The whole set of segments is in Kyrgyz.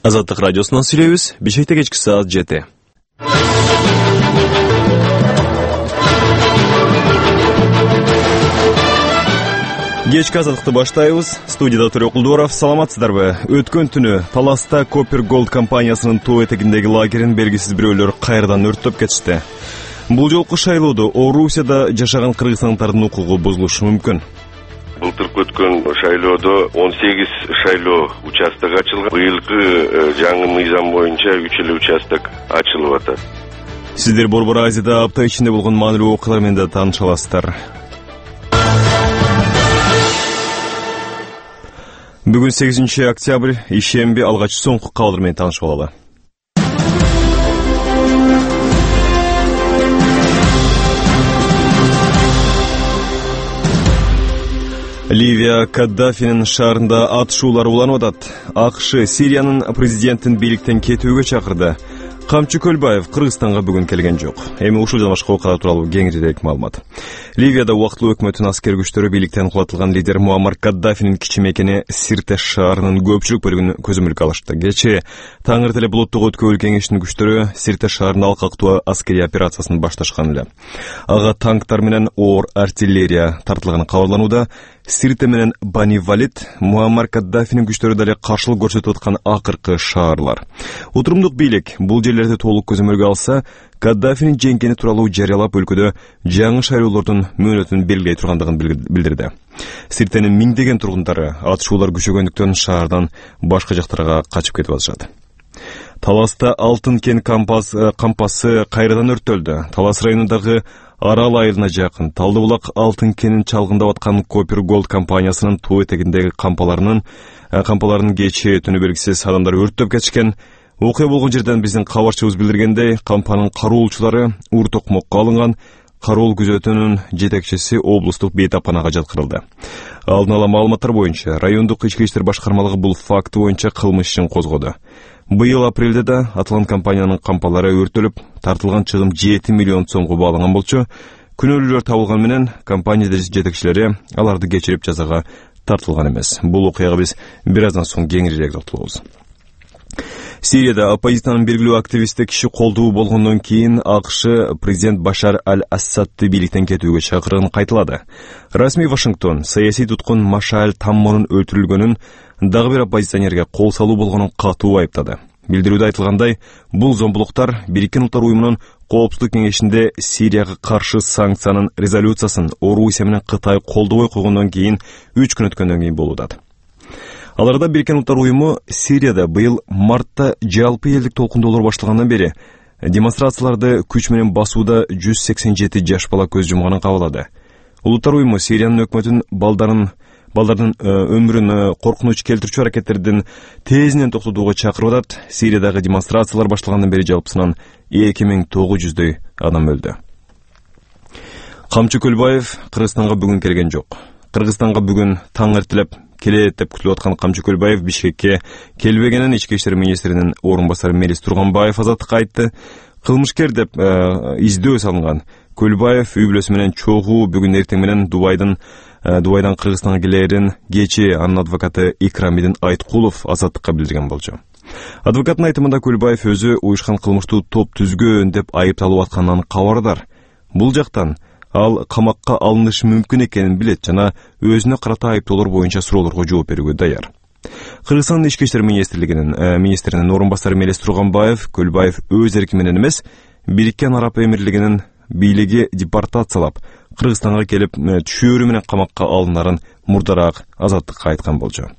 Азаттык радиосунан сүйлөйбүз. Бишкекте кечки саат 7. Кечки азаттыкты баштайбыз. Студияда Төрөк Кулдуаров. Саламатсыздарбы? Өткөн түнү Таласта Copper Gold компаниясынын тоо этегиндеги лагерин белгисиз бирөөлөр кайрадан өрттөп кетишти. Бул жолку шайлоодо Орусияда жашаган кыргызстандардын укугу бузулушу мүмкүн. Былтыркы өткөн шайлоодо 18 шайлоо участок ачылган. Быйылкы жаңы мыйзам боюнча 3 эле участок ачылып атат. Сиздер Борбор Азияда апта ичинде болгон маанилүү окуялар менен да тааныша аласыздар. Бүгүн 8 октябрь, ишемби, алгач соңку кабарлар менен таанышып алалы. Ливия Каддафинин шаарында атышуулар уланып атат. АКШ Сириянын президентин бийликтен кетүүгө чакырды. Камчы Көлбаев Кыргызстанга бүгүн келген жок. Эми ушул жана башка окуялар тууралуу кеңирээк маалымат. Ливияда убактылуу өкмөттүн аскер күчтөрү бийликтен кулатылган лидер Муаммар Каддафинин кичи мекени Сирте шаарынын көпчүлүк бөлүгүн көзөмөлгө алышты. Кечээ таң эртеле булуттук өткөбүл кеңештин күчтөрү Сирте шаарында алкактуу аскерий операциясын башташкан эле. Ага танктар менен оор артиллерия тартылганы кабарланууда. Сирте менен Бани Валид Муаммар Каддафинин күчтөрү дале каршылык көрсөтүп аткан акыркы шаарлар. Утурумдук бийлик бул жерлерди толук көзөмөлгө алса, Каддафинин жеңгени тууралуу жарыялап өлкөдө жаңы шайлоолордун мөөнөтүн белгилей тургандыгын билдирди. Сиртенин миңдеген тургундары атышуулар күчөгөндүктөн шаардан башка жактарга качып кетип атышат. Таласта Алтын кен кампасы кайрадан өрттөлдү. Талас районундагы Арал айылына жакын Талдыбулак алтын кенин чалгындап аткан Copper Gold компаниясынын тоо этегиндеги кампаларынын кечээ түнү белгисиз адамдар өрттөп кетишкен. Окуя болгон жерден биздин кабарчыбыз билдиргендей, кампанын кароолчулары ур токмокко алынган. Кароол күзөтүүнүн жетекчиси облустук бейтапканага жаткырылды. Алдын ала маалыматтар боюнча райондук ички иштер башкармалыгы бул факты боюнча кылмыш ишин козгоду. Быйыл апрелде да аталган компаниянын кампалары өртөлүп, тартылган чыгым 7 миллион сомго бааланган болчу. Күнөөлүүлөр табылган менен компания жетекчилери аларды кечирип жазага тартылган эмес. Бул окуяга биз бир аздан соң кеңирээк токтолобуз. Сирияда оппозициянын белгилүү активисти киши колдуу болгондон кийин АКШ президент Башар аль-Ассадты бийликтен кетүүгө чакырган кайталады. Расмий Вашингтон саясий туткун Машааль Таммонун өлтүрүлгөнүн дагы бир оппозиционерге кол салуу болгонун катуу айыптады. Билдирүүдө айтылгандай, бул зомбулуктар Бириккен Улуттар уюмунун Коопсуздук кеңешинде Сирияга каршы санкциянын резолюциясын Орусия менен Кытай колдобой койгондон кийин 3 күн өткөндөн кийин болуп атат. Аларда Бириккен Улуттар уюму Сирияда быйыл мартта жалпы элдик толкундоолор башталгандан бери демонстрацияларды күч менен басууда 187 жаш бала көз жумганын кабарлады. Улуттар уюму Сириянын өкмөтүн балдардын өмүрүн коркунуч келтирүүчү аракеттердин тезинен токтотууга чакырып атат. Сириядагы демонстрациялар башталгандан бери жалпысынан 2900дөй адам өлдү. Камчы Көлбаев Кыргызстанга бүгүн келген жок. Кыргызстанга бүгүн таң эртелеп келет деп күтүлүп аткан Камчы Көлбаев Бишкекке келбегенин ички иштер министринин орун басары Мелис Турганбаев азаттыкка айтты. Кылмышкер деп издөө салынган Көлбаев үй бүлөсү менен чогуу бүгүн эртең менен Дубайдан Кыргызстанга келерин кечээ анын адвокаты Икрамидин Айткулов азаттыкка билдирген болчу. Адвокаттын айтымында Көлбаев өзү уюшкан кылмыштуу топ түзгөн деп айыпталып атканынан кабардар. Бул жактан ал камакка алынышы мүмкүн экенин билет жана өзүнө карата айыптоолор боюнча суроолорго жооп берүүгө даяр. Кыргызстандын ички иштер министринин орун басары Мелис Турганбаев Көлбаев өз эрки менен эмес, Бириккен Араб Эмирлигинин бийлиги депортациялап, Кыргызстанга келип түшөөрү менен камакка алынарын мурдараак азаттыкка айткан болчу.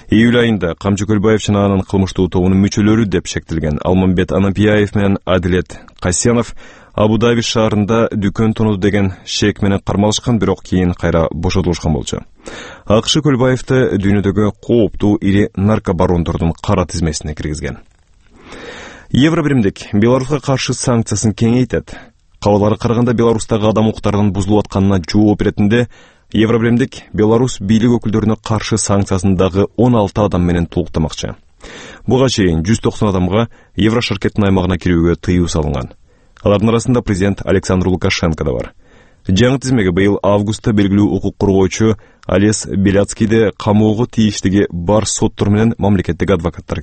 Июль айында Камчы Көлбаев жана анын кылмыштуу тобунун мүчөлөрү деп шектелген Алмамбет Анапияев менен Адилет Касьянов Абу-Даби шаарында дүкөн тонуду деген шек менен кармалышкан, бирок кийин кайра бошотулушкан болчу. АКШ Көлбаевди дүйнөдөгү кооптуу ири наркобарондордун кара тизмесине киргизген. Евробиримдик Беларуска каршы санкциясын кеңейтет. Кабарларга караганда Беларустагы адам укуктарынын бузулуп атканына жооп беретинде Евробиримдик Беларус бийлик өкүлдөрүнө каршы санкциясын дагы 16 адам менен толуктамакчы. Буга чейин 190 адамга Еврошаркеттин аймагына кирүүгө тыюу салынган. Алардын арасында президент Александр Лукашенко да бар. Жаңы тизмеге быйыл августта белгилүү укук коргоочу Олес Беляцкийди камоого тийиштиги бар соттор менен мамлекеттик адвокаттар